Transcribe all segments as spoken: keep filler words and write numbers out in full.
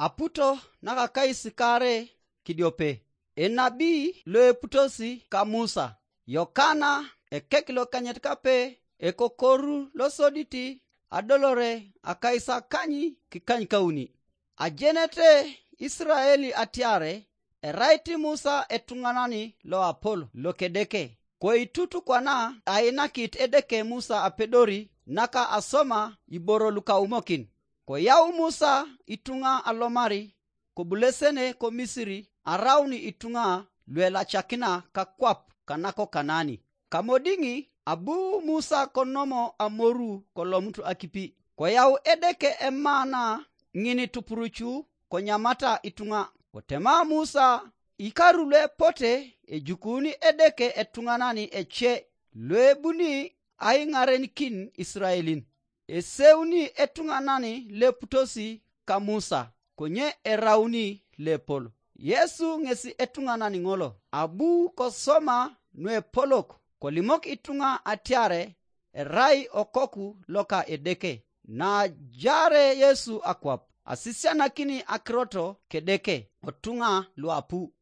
Aputo nakakais kaare kidiope. Enabi loeputosi ka Musa, Yokana ekek lokanyit kape, ekokoru losodit adolore akaisakany kikanykauni. Ajenete Israeli atiare erait Musa etuŋanan loapol lokedeke. Koitut kwana ainakit Edeke Musa apedori naka asoma iboro lukaumokin. Koyau Musa ituŋa alomari kobulesene ko Misiri araun ituŋa luelacakina kakwap kanako Kanani. Kamodiŋi abu Musa konomo amoru kolomut akipi. Koyau Edeke emana ŋin tupurucu konyamata ituŋa. Kotema Musa ikaru luepote ejukuni Edeke etuŋanan ece luebuni aiŋarenikin Israelin. Eseuni etuŋanan leputosi ka Musa, konye erauni lepol. Yesu ŋesi etuŋanan ŋolo. Abu kosoma nuepolok kolimok ituŋa atiare erai okoku loka Edeke. Najaare Yesu akwap, asisianakini akirot kedeke otuŋa luapu.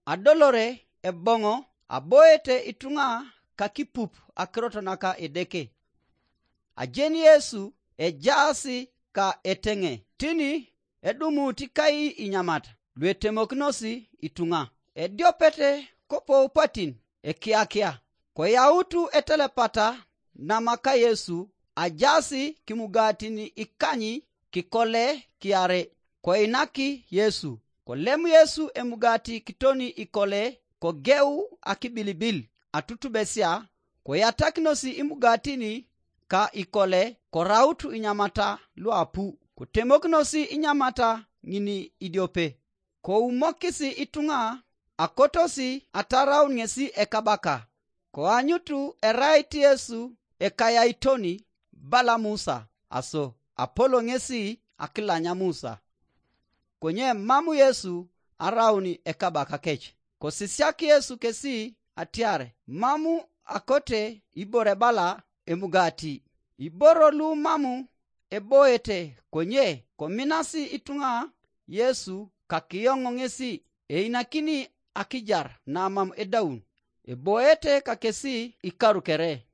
Adolore eboŋo aboete ituŋa kakipup akirot naka Edeke. Ajeni Yesu ejaasi ka eteŋe tini edumut kai inyamat luetemokinosi ituŋa. Ediopete kopou patin ekiakia. Koyautu etelepata namaka Yesu ajaasi kimugatin ikany kikole kiare. Koinaki Yesu. Kolem Yesu emugati kitoni ikole kogeu akibilibil atutubesia. Koyatakinosi imugatini ka ikole korautu inyamata luapu. Kotemokinosi inyamata ŋini idiope. Koumokisi ituŋa akotosi ataraun ŋesi ekabaka. Koanyutu erait Yesu ekayaitoni bala Musa aso apolo ŋesi akilanya Musa. Konye mam Yesu araun ekabakakec. Kosisiak Yesu kesi atiar mam akote ibore bala emugati. Iboro lu mam eboete konye kominasi ituŋa Yesu kakiyoŋ ŋesi einakini akijar namam edaun. Eboete kakesi ikaru kere.